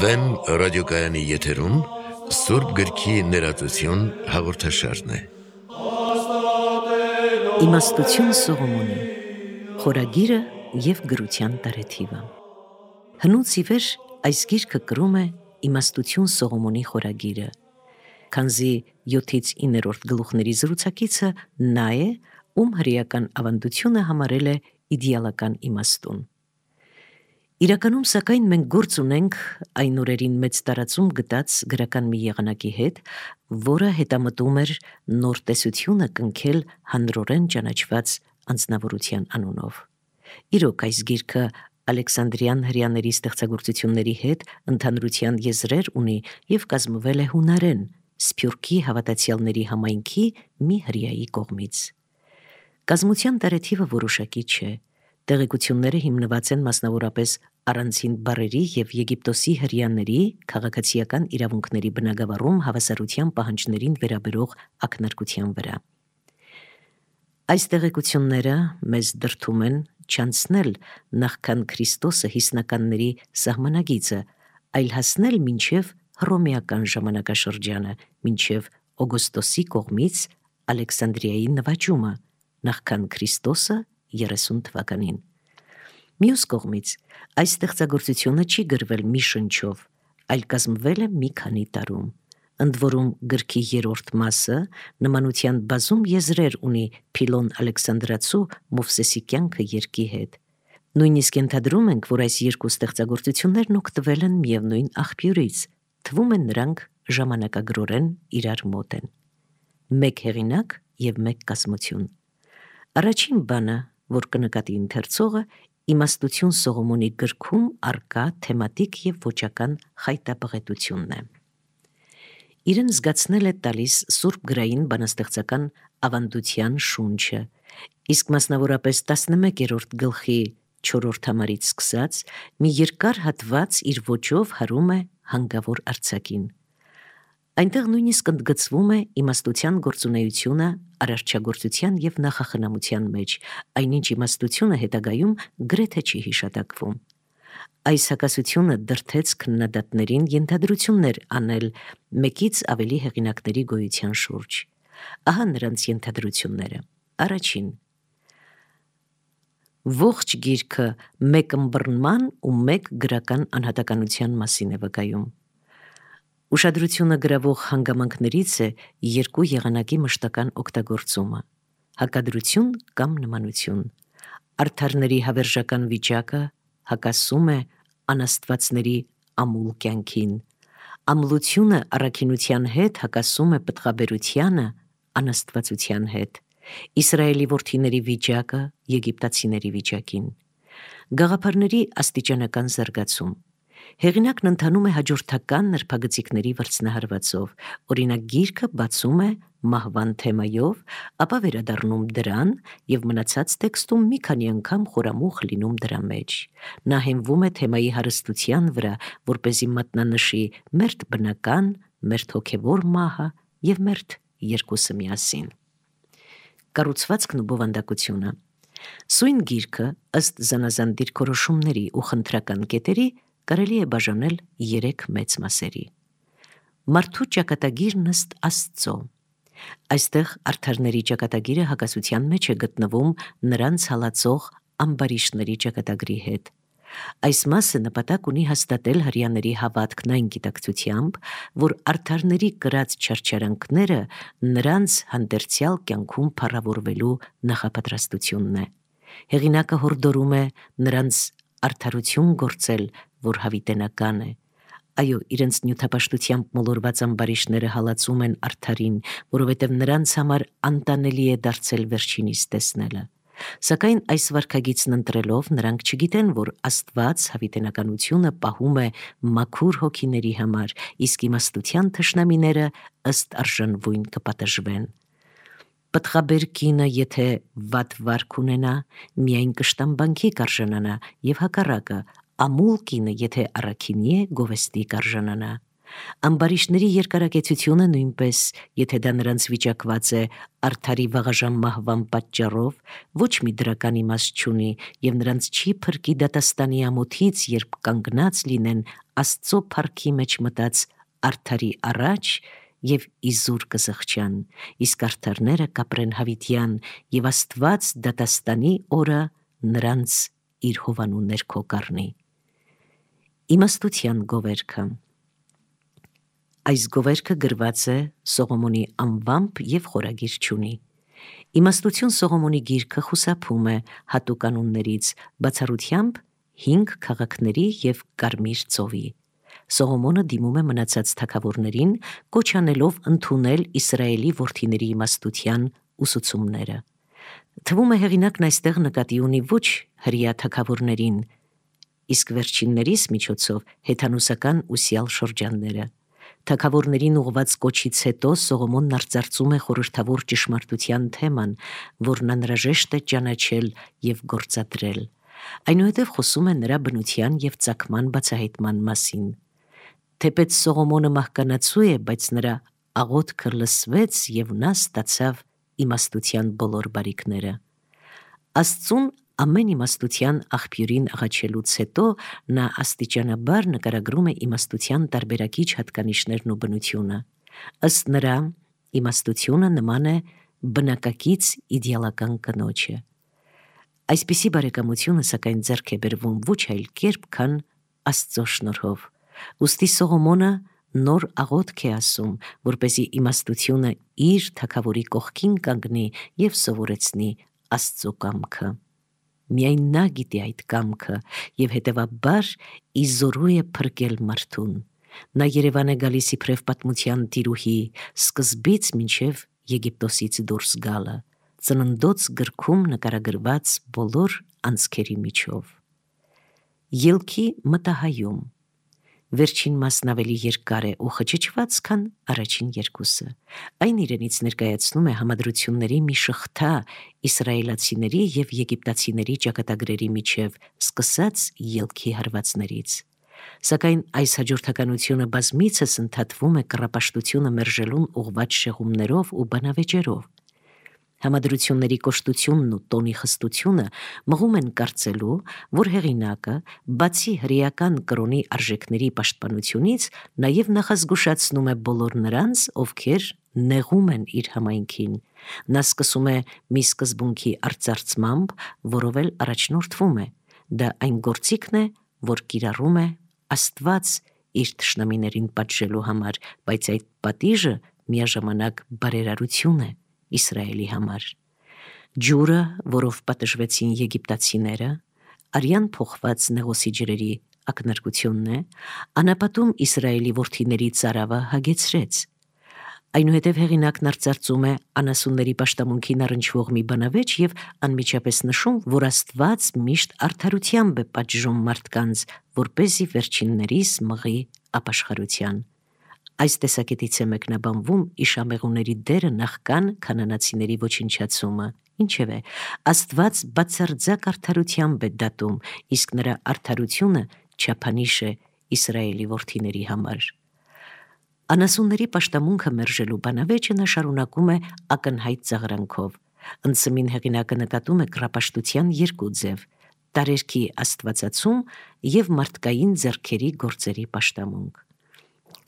Վեն ռադիոկայանի եթերում Սուրբ գրքի ներածություն հաղորդաշարն է։ Իմաստություն Սողոմոնի խորագիրը և գրության տարեթիվը։ Հնուց ի վեր այս գիրքը կրում է Իմաստություն Սողոմոնի խորագիրը, քանզի 7-ից 9-րդ գլուխների զրուցակիցը նա է, ում հրեական ավանդությունը համարել է իդեալական իմաստուն։ Իրականում, սակայն, մենք գործ ունենք այն օրերին մեծ տարածում գտած գրական մի եղանակի հետ, որը հետամտում էր նոր տեսությունը կնքել հանրորեն ճանաչված անձնավորության անունով։ Իրոք, այս գիրքը Ալեքսանդրյան հրեաների ստեղծագործությունների հետ ընդհանրության եզրեր ունի և կազմվել է հունարեն, Սփյուռքի հավատացյալների համայնքի մի հրեայի կողմից։ Կազմության տարեթիվը որոշակի չէ։ Տեղեկությունները հիմնված են մասնավորապես առանցին բառերի և Եգիպտոսի հրեաների քաղաքացիական իրավունքների բնագավառում հավասարության պահանջներին վերաբերող ակնարկության վրա։ Այս տեղեկությունները մեզ դրդում են չանցնել նախքան Քրիստոսը հիսնականների սահմանագիծը, այլ հասնել մինչև հռոմեական ժամանակաշրջանը, մինչև Օգոստոսի կողմից Ալեքսանդրիայի նվաճումը, նախքան Քրիստոսը 30 թվականին։ Մյուս կողմից, այս ստեղծագործությունը չի գրվել մի շնչով, այլ կազմվել է մի քանի տարում, ընդ որում գրքի երրորդ մասը նմանության բազում եզրեր ունի Փիլոն Ալեքսանդրացու Մովսեսի կյանքը երկի հետ։ Նույնիսկ ենթադրում ենք, որ այս երկու ստեղծագործություններն օգտվել են միևնույն աղբյուրից, թվում է նրանք ժամանակագրորեն իրար մոտ են։ Մեկ հեղինակ և մեկ կազմություն։ Առաջին բանը, որ կնկատի ընթերցողը, Իմաստություն Սողոմոնի գրքում առկա թեմատիկ և ոճական խայտաբղետությունն է։ Իրեն զգացնել է տալիս սուրբ գրային բանաստեղծական ավանդության շունչը, իսկ մասնավորապես 11-րդ գլխի 4-րդ համարից սկսած մի երկար հատված իր ոճով հարում է հանգավոր արձակին։ Այնտեղ նույնիսկ ընդգծվում է իմաստության գործունեությունը արարչագործության և նախախնամության մեջ, այնինչ իմաստությունը հետագայում գրեթե չի հիշատակվում։ Այս հակասությունը դրդեց քննադատներին ենթադրություններ անել մեկից ավելի հեղինակների գոյության շուրջ։ Ահա նրանց ենթադրությունները։ Առաջին. ողջ գիրքը մեկ ըմբռնման ու մեկ գրական անհատականության մասին է վկայում։ Ուշադրությունը գրավող հանգամանքներից է երկու եղանակի մշտական օգտագործումը՝ հակադրություն կամ նմանություն։ Արդարների հավերժական վիճակը հակասում է անաստվածների ամուլ կյանքին։ Ամլությունը առաքինության հետ հակասում է պտղաբերությանը անաստվածության հետ։ Իսրայելի որդիների վիճակը եգիպտացիների վիճակին։ Գաղափարների աստիճանական զարգացում։ Հեղինակն ընթանում է հաջորդական նրբագծիկների վրձնահարվածով, օրինակ գիրքը բացում է մահվան թեմայով, ապա վերադառնում դրան և մնացած տեքստում մի քանի անգամ խորամուխ լինում դրա մեջ։ Նա հենվում է թեմայի հարստության վրա, որպեսզի մատնանշի մերթ բնական, մերթ հոգևոր մահը և մերթ երկուսը միասին։ Կառուցվածքն ու բովանդակությունը։ Սույն գիրքը, ըստ զանազան դիրքորոշումների ու խնդրական կետերի, կարելի է բաժանել 3 մեծ մասերի։ Մարդու ճակատագիրն ըստ Աստծո։ Այստեղ արդարների ճակատագիրը հակասության մեջ է գտնվում նրանց հալածող ամբարիշտների ճակատագրի հետ։ Այս մասը նպատակ ունի հաստատել հրեաների հավատքն այն գիտակցությամբ, որ արդարների կրած չարչարանքները նրանց հանդերձյալ կյանքում փառավորվելու նախապատրաստությունն է։ Հեղինակը հորդորում է նրանց արդարություն գործել, որ հավիտենական է։ Այո, իրենց նյութապաշտությամբ մոլորված ամբարիշտները հալածում են արդարին, որովհետև նրանց համար անտանելի է դարձել վերջինիս տեսնելը։ Սակայն այս վարքագիծն ընտրելով նրանք չգիտեն, որ Աստված հավիտենականությունը պահում է մաքուր հոգիների համար, իսկ իմաստության թշնամիները ըստ արժանվույն կպատժվեն։ Պտղաբեր կինը, եթե վատ վարք ունենա, միայն կշտամբանքի կարժանանա, և հակառակը, ամուլ կինը, եթե առաքինի է, գովեստի կարժանանա։ Ամբարիշտների երկարակեցությունը նույնպես, եթե դա նրանց վիճակված է արդարի վաղաժամ մահվան պատճառով, ոչ մի դրական իմաստ չունի եւ նրանց չի փրկի դատաստանի ամոթից, երբ կանգնած լինեն Աստծո փառքի մեջ մտած արդարի առաջ եւ իզուր կզղջան, իսկ արդարները կապրեն հավիտյան եւ Աստված դատաստանի օրը նրանց իր հովանու ներքո կառնի։ Իմաստության գովերքը։ Այս գովերքը գրված է Սողոմոնի անվամբ եւ խորագիր չունի։ Իմաստություն Սողոմոնի գիրքը խուսափում է հատուկ անուններից, բացառությամբ 5 քաղաքների եւ Կարմիր ծովի։ Սողոմոնը դիմում է մնացած թագավորներին, կոչ անելով ընդունել Իսրայելի որդիների իմաստության ուսուցումները։ Թվում է հեղինակն այստեղ նկատի ունի ոչ հրեա թագավորներին, իսկ վերջիններիս միջոցով հեթանոսական ուսյալ շրջանները։ Թագավորներին ուղված կոչից հետո Սողոմոնն արծարծում է խորհրդավոր ճշմարտության թեման, որն անհրաժեշտ է ճանաչել եւ գործադրել։ Այնուհետև խոսում է նրա բնության եւ ծագման բացահայտման մասին։ Թեպետ Սողոմոնը մահկանացու է, բայց նրա աղոթքը լսվեց եւ նա ստացավ իմաստության բոլոր բարիքները։ Աստծուն ամեն իմաստության աղբյուրին աղաչելուց հետո նա աստիճանաբար նկարագրում է իմաստության տարբերակիչ հատկանիշներն ու բնությունը։ Ըստ նրա, իմաստությունը նման է բնակակից իդեալական կնոջը։ Այսպիսի բարեկամությունը սակայն ձեռք է բերվում ոչ այլ կերպ, քան Աստծո շնորհով։ Ուստի Սողոմոնը նոր աղոթք է ասում, որպեսզի իմաստությունը իր թագավորի կողքին կանգնի եւ սովորեցնի Աստծո կամքը։ Միայն նա գիտի այդ կամքը եւ հետեւաբար իզորու է փրկել մարդուն։ Նա Երևան է գալիս իբրև պատմության տիրուհի, սկզբից մինչև Եգիպտոսից դուրս գալը, ծննդոց գրքում նկարագրված բոլոր անցքերի միջով։ Ելքի մտահայում։ Վերջին մասն ավելի երկար է ու խճճված, քան առաջին երկուսը։ Այն իրենից ներկայացնում է համադրությունների մի շղթա իսրայելացիների եւ եգիպտացիների ճակատագրերի միջև, սկսած ելքի հարվածներից։ Սակայն այս հաջորդականությունը բազմիցս ընդհատվում է կռապաշտությունը մերժելուն ուղղված շեղումներով ու բանավեճերով։ Համադրությունների կոշտությունն ու տոնի խստությունը մղում են կարծելու, որ հեղինակը, բացի հրեական կրոնի արժեքների պաշտպանությունից, նաև նախազգուշացնում է բոլոր նրանց, ովքեր նեղում են իր համայնքին։ Նա սկսում է մի սկզբունքի արծարծմամբ, որով էլ առաջնորդվում է։ Դա այն գործիքն է, որ կիրառում է Աստված իր թշնամիներին պատժելու համար, բայց այդ պատիժը միաժամանակ բարերարություն է Իսրայելի համար։ Ջուրը, որով պատժվեցին եգիպտացիները, արյան փոխված նեղոսի ջրերի ակնարկությունն է, անապատում Իսրայելի որդիների ծարավը հագեցրեց։ Այնուհետև հեղինակն արծարծում է անասունների պաշտամունքին առնչվող մի բանավեճ եւ անմիջապես նշում, որ Աստված միշտ արդարությամբ է պատժում մարդկանց, որպեսզի վերջիններիս մղի ապաշխարության։ Այս տեսակետից է մեկնաբանվում իշամեղուների դերը նախքան քանանացիների ոչնչացումը։ Ինչևէ, Աստված բացարձակ արդարությամբ է դատում, իսկ նրա արդարությունը չափանիշ է Իսրայելի որդիների համար։ Անասունների պաշտամունքը մերժելու բանավեճը նա շարունակում է ակնհայտ ծաղրանքով։ Ընծմին հեղինակը նկատում է կռապաշտության երկու ձև՝ տարերքի աստվածացում եւ մարդկային ձեռքերի գործերի պաշտամունք։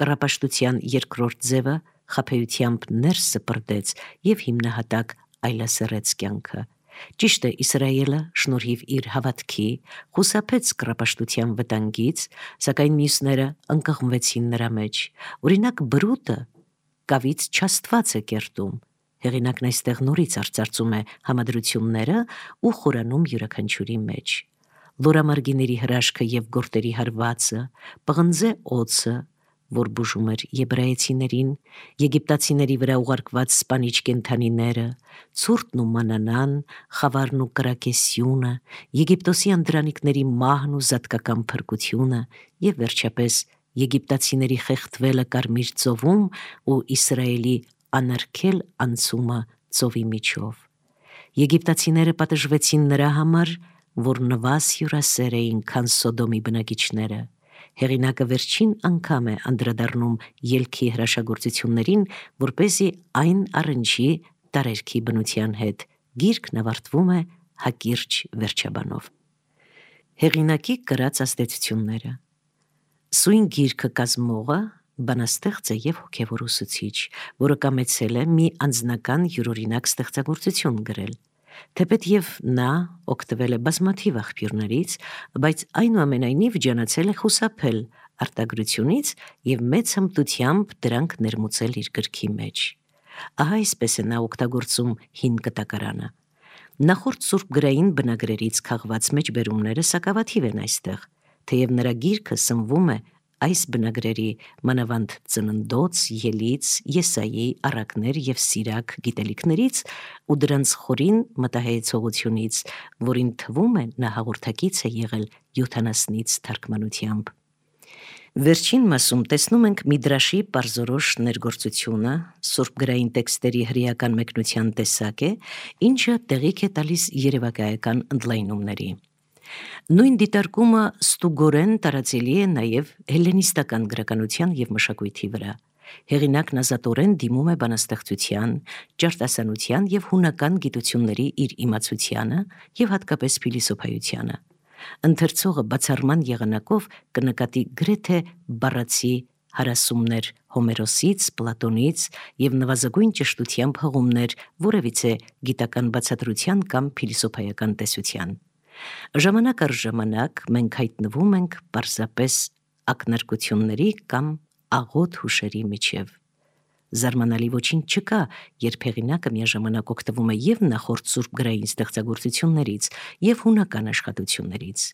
Կռապաշտության երկրորդ ձևը խաբեությամբ ներս սպրդեց եւ հիմնահատակ այլասերեց կյանքը։ Ճիշտ է, Իսրայելը շնորհիվ իր հավատքի խուսափեց կռապաշտության վտանգից, սակայն մյուսները ընկղմվեցին նրա մեջ։ Օրինակ բրուտը կավից չաստված է կերտում։ Հեղինակն այստեղ նորից արծարծում է համադրությունները ու խորանում յուրաքանչյուրի մեջ։ Լորամարգիների հրաշքը եւ գորտերի հարվածը, պղնձե օձը, որ բուժում էր եբրայեցիներին, եգիպտացիների վրա ուղարկված սպանիչ կենդանիները, ցուրտն ու մանանան, խավարն ու կրակեսյունը, Եգիպտոսի անդրանիկների մահն ու զատկական փրկությունը եւ վերջապես եգիպտացիների խեղդվելը Կարմիր ծովում ու Իսրայելի անարգել անցումը ծովի միջով։ Եգիպտացիները պատժվեցին նրա համար, որ նվազ հյուրասեր էին, քան Սոդոմի բնակիչները։ Հեղինակը վերջին անգամ է անդրադառնում ելքի հրաշագործություններին, որպեսզի այն առնչի տարերքի բնության հետ։ Գիրքն ավարտվում է հակիրճ վերջաբանով։ Հեղինակի կրած ազդեցությունները։ Սույն գիրքը կազմողը բանաստեղծ է եւ հոգեվոր ուսուցիչ, որը կամեցել է մի անձնական յուրօրինակ ստեղծագործություն գրել։ Թեպետ եւ նա օգտվել է բազմաթիվ աղբյուրներից, բայց այնուամենայնիվ ջանացել է խուսափել արտագրությունից եւ մեծ հմտությամբ դրանք ներմուծել իր գրքի մեջ։ Ահա այսպես է նա օգտագործում հին կտակարանը։ Նախորդ սուրբգրային բնագրերից քաղված մեջբերումները սակավաթիվ են այստեղ, թեև նրա գիրքը սնվում է այս բնագրերի մանավանդ ծննդոց, ելից, եսայի, առակներ եւ սիրակ գիտելիքներից ու դրանց խորին մտահայեցողությունից, որին թվում է նա հաղորդակից է եղել 70-ից թարգմանությամբ։ Վերջին մասում տեսնում ենք Միդրաշի պարզորոշ ներգործությունը, սուրբգրային տեքստերի հրեական մեկնության տեսակ է, ինչը տեղիք է տալիս երևակայական ընդլայնումների։ Նույն դիտարկումը ստուգորեն տարածելի է նաև հելլենիստական գրականության եւ մշակույթի վրա։ Հեղինակն ազատորեն դիմում է բանաստեղծության, ճարտասանության եւ հունական գիտությունների իր իմացությանը եւ հատկապես փիլիսոփայությանը։ Ընթերցողը բացառման եղանակով կնկատի գրեթե բառացի հարասումներ Հոմերոսից, Պլատոնից եւ նվազագույն ճշտությամբ հղումներ որևիցե գիտական բացատրության կամ փիլիսոփայական տեսության։ Ժամանակ առ ժամանակ մենք հայտնվում ենք պարզապես ակնարկությունների կամ աղոտ հուշերի միջև։ Զարմանալի ոչինչ չկա, երբ հեղինակը միաժամանակ օգտվում է եւ նախորդ սուրբգրային ստեղծագործություններից եւ հունական աշխատություններից։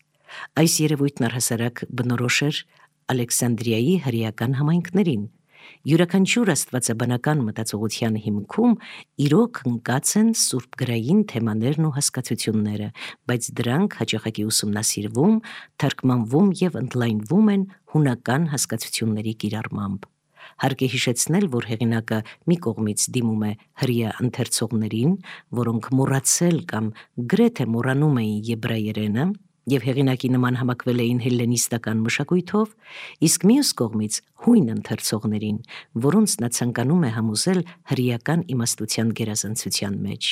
Այս երևույթն առհասարակ բնորոշ էր Ալեքսանդրիայի հրեական համայնքներին։ Յուրաքանչյուր աստվածաբանական մտածողության հիմքում իրոք ընկած են սուրբգրային թեմաներն ու հասկացությունները, բայց դրանք հաճախակի ուսումնասիրվում, թարգմանվում եւ ընդլայնվում են հունական հասկացությունների կիրառմամբ։ Հարկ է հիշեցնել, որ հեղինակը մի կողմից դիմում է հրեա ընթերցողներին, որոնք մոռացել կամ գրեթե մոռանում էին եբրայերենը եւ հեղինակի նման համակվել էին հելլենիստական մշակույթով, իսկ մյուս կողմից հույն ընթերցողներին, որոնց նա ցանկանում է համոզել հրեական իմաստության գերազանցության մեջ։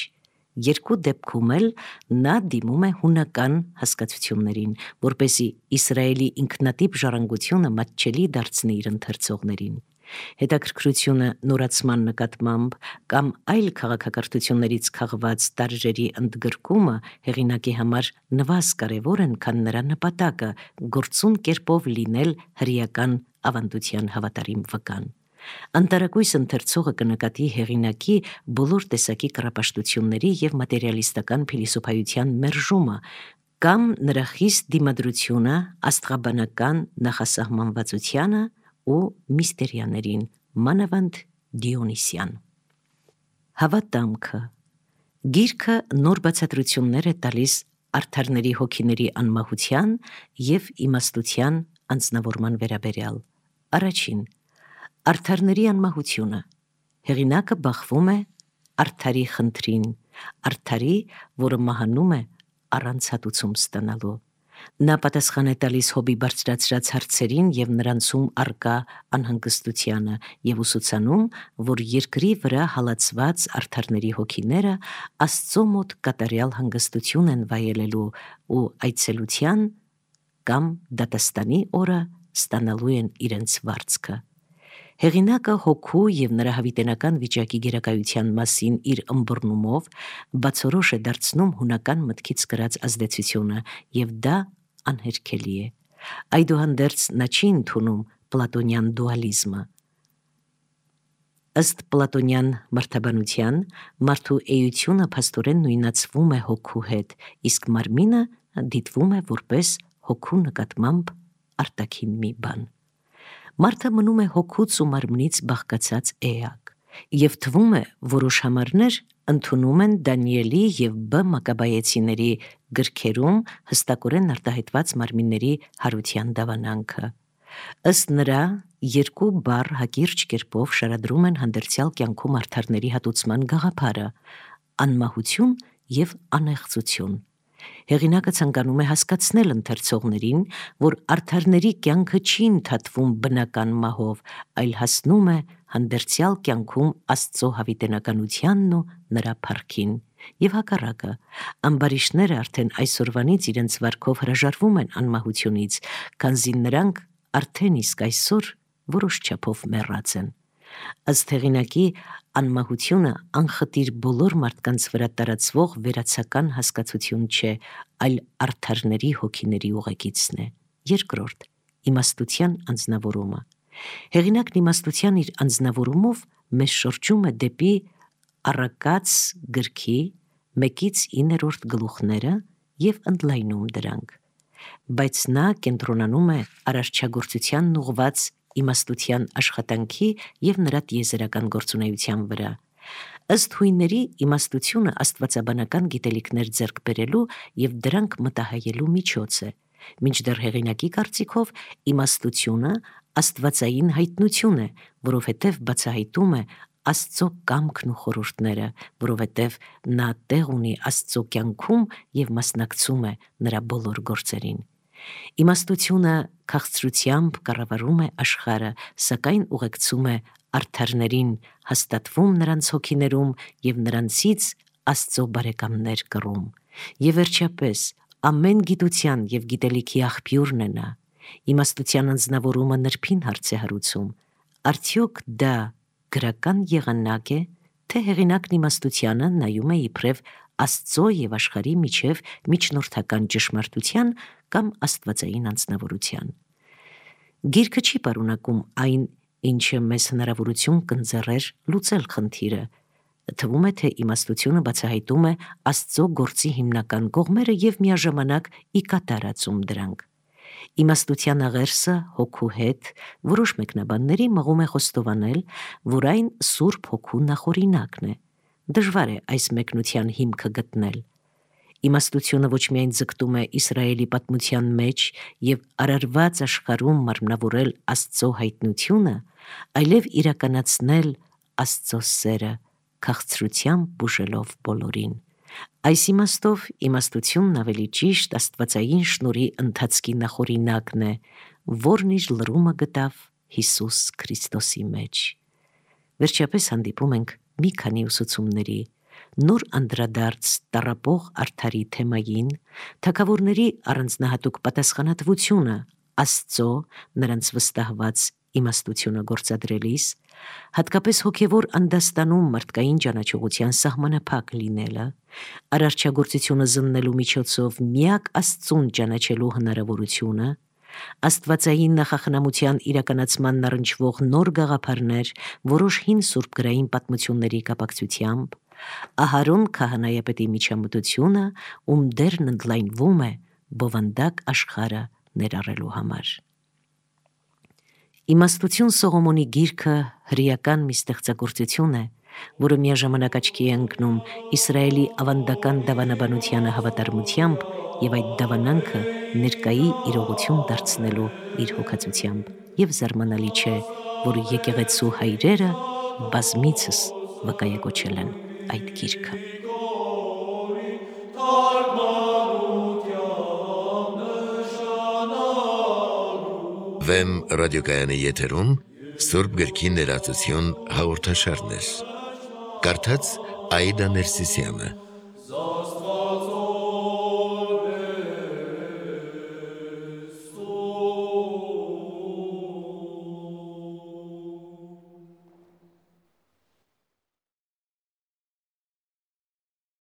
Երկու դեպքում էլ նա դիմում է հունական հասկացություններին, որպեսզի Իսրայելի ինքնատիպ ժառանգությունը մատչելի դարձնի իր ընթերցողներին։ Հետաքրքրությունը նորացման նկատմամբ կամ այլ քաղաքակրթություններից քաղված տարրերի ընդգրկումը հեղինակի համար նվազ կարևոր են, քան նրա նպատակը գործուն կերպով լինել հրեական ավանդության հավատարիմ վկան։ Անտարակույս ընթերցողը կնկատի հեղինակի բոլոր տեսակի կռապաշտությունների եւ մատերիալիստական փիլիսոփայության մերժումը կամ նրա խիստ դիմադրությունը աստղաբանական նախասահմանվածությանը ու միստերիաներին, մանավանդ Դիոնիսյան։ Հավատամքը։ Գիրքը նոր բացատրություններ է տալիս արդարների հոգիների անմահության եւ իմաստության անձնավորման վերաբերյալ։ Առաջին. արդարների անմահությունը։ Հեղինակը բախվում է արդարի խնդրին, արդարի, որը մահանում է առանց հատուցում ստանալու։ Նա պատասխան է տալիս Հոբի բարձրացրած հարցերին եւ նրանցում արկա անհանգստությանը եւ ուսուցանում, որ երկրի վրա հալածված արդարների հոգիները Աստծո մոտ կատարյալ հանգստություն են վայելելու ու այցելության կամ դատաստանի օրը ստանալու են իրենց վարձքը։ Հեղինակը հոգու եւ նրա հավիտենական վիճակի գերակայության մասին իր ըմբռնումով բացորոշ է դարձնում հունական մտքից կրած ազդեցությունը եւ դա անհերքելի է։ Այդուհանդերձ նա չի ընդունում պլատոնյան դուալիզմը։ Ըստ պլատոնյան մարդաբանության մարդու էությունը փաստորեն նույնացվում է հոգու հետ, իսկ մարմինը դիտվում է որպես հոգու նկատմամբ արտաքին մի բան։ Մարդը մնում է հոգուց ու մարմնից բաղկացած էակ, եւ թվում է որոշ համարներ ընդունում են Դանիելի եւ Բ Մակաբայեցիների գրքերում հստակորեն արտահայտված մարմինների հարության դավանանքը։ Ըստ նրա, երկու բառ հակիրճ կերպով շարադրում են հանդերձյալ կյանքում արդարների հատուցման գաղափարը՝ անմահություն եւ անեղծություն։ Հեղինակը ցանկանում է հասկացնել ընթերցողներին, որ արդարների կյանքը չի ընդհատվում բնական մահով, այլ հասնում է հանդերձյալ կյանքում Աստծո հավիտենականությանն ու նրա փառքին։ Եվ հակառակը, ամբարիշտները արդեն այսօրվանից իրենց վարքով հրաժարվում են անմահությունից, քանզի նրանք արդեն իսկ այսօր որոշ չափով մեռած են։ Ըստ հեղինակի, անմահությունը անխտիր բոլոր մարդկանց վրա տարածվող վերացական հասկացություն չէ, այլ արդարների հոգիների ուղեկիցն է։ Երկրորդ, իմաստության անձնավորումը։ Հեղինակն իմաստության իր անձնավորումով մեզ շրջում է դեպի Առակաց գրքի 1-9 գլուխները եւ ընդլայնում դրանք։ Բայց նա կենտրոնանում է արարչագործությանն ուղված իմաստության աշխատանքի եւ նրա տիեզերական գործունեության վրա։ Ըստ հույնների, իմաստությունը աստվածաբանական գիտելիքներ ձեռք բերելու եւ դրանք մտահայելու միջոց է, մինչդեռ հեղինակի կարծիքով իմաստությունը աստվածային հայտնություն է, որովհետեւ բացահայտում է Աստծո կամքն ու խորհուրդները, որովհետև նա տեղ ունի Աստծո կյանքում եւ մասնակցում է նրա բոլոր գործերին։ Իմաստությունը քաղցրությամբ կառավարում է աշխարհը, սակայն ուղեկցում է արդարներին, հաստատվում նրանց հոգիներում եւ նրանցից Աստծո բարեկամներ կռում։ Եվ վերջապես, ամեն գիտության եւ գիտելիքի աղբյուրն է նա։ Իմաստության անձնավորումը նրբին հարց է հարուցում. արդյոք դա գրական եղանակ է, թե հեղինակն իմաստությանը նայում է իբրև Աստծո եւ աշխարհի միջև միջնորդական ճշմարտության կամ աստվածային անձնավորության։ Գիրքը չի պարունակում այն, ինչը մեզ հնարավորություն կընձեռեր լուծել խնդիրը։ Թվում է, թե իմաստությունը բացահայտում է Աստծո գործի հիմնական կողմերը եւ միաժամանակ ի կատարածում դրանք։ Իմաստության աղերսը հոգու հետ որոշ մեկնաբանների մղում է խոստովանել, որ այն Սուրբ Հոգու նախօրինակն է։ Դժվար է այս մեկնության հիմքը գտնել։ Իմաստությունը ոչ միայն ձգտում է Իսրայելի պատմության մեջ եւ արարված աշխարհում մարմնավորել Աստծո հայտնությունը, այլև իրականացնել Աստծո սերը, քաղցրությամբ բուժելով բոլորին։ Այս իմաստով իմաստությունն ավելի ճիշտ աստվածային շնորհի ընթացքի նախօրինակն է, որն իր լրումը գտավ Հիսուս Քրիստոսի մեջ։ Վերջապես հանդիպում ենք մի քանի ուսուցումների, նոր անդրադարձ տառապող արդարի թեմային, թագավորների առանձնահատուկ պատասխանատվությունը Աստծո նրանց վստահված իմաստությունը գործադրելիս, հատկապես հոգևոր անդաստանում մարդկային ճանաչողության սահմանափակ լինելը, արարչագործությունը զննելու միջոցով միակ Աստծուն ճանաչելու հնարավորությունը, աստվածային նախախնամության իրականացման առնչվող նոր գաղափարներ որոշ հին սուրբգրային պատմությունների կապակցությամբ, Ահարոն քահանայապետի միջամտությունը, ում դերն ընդլայնվում է բովանդակ աշխարհը ներառելու համար։ Իմաստություն Սողոմոնի գիրքը հրեական մի ստեղծագործություն է, որը միաժամանակ աչքի է ընկնում Իսրայելի ավանդական դավանաբանությանը հավատարմությամբ եւ այդ դավանանքը ներկայի իրողություն դարձնելու իր հոգացությամբ, եւ զարմանալի չէ, որ եկեղեցու հայրերը բազմիցս վկայակոչել են այդ գիրքը։ Վեմ ռադիոկայանի եթերում Սուրբ գրքի ներածություն հաղորդաշարներ։ Կարդաց Աիդա Ներսիսյանը։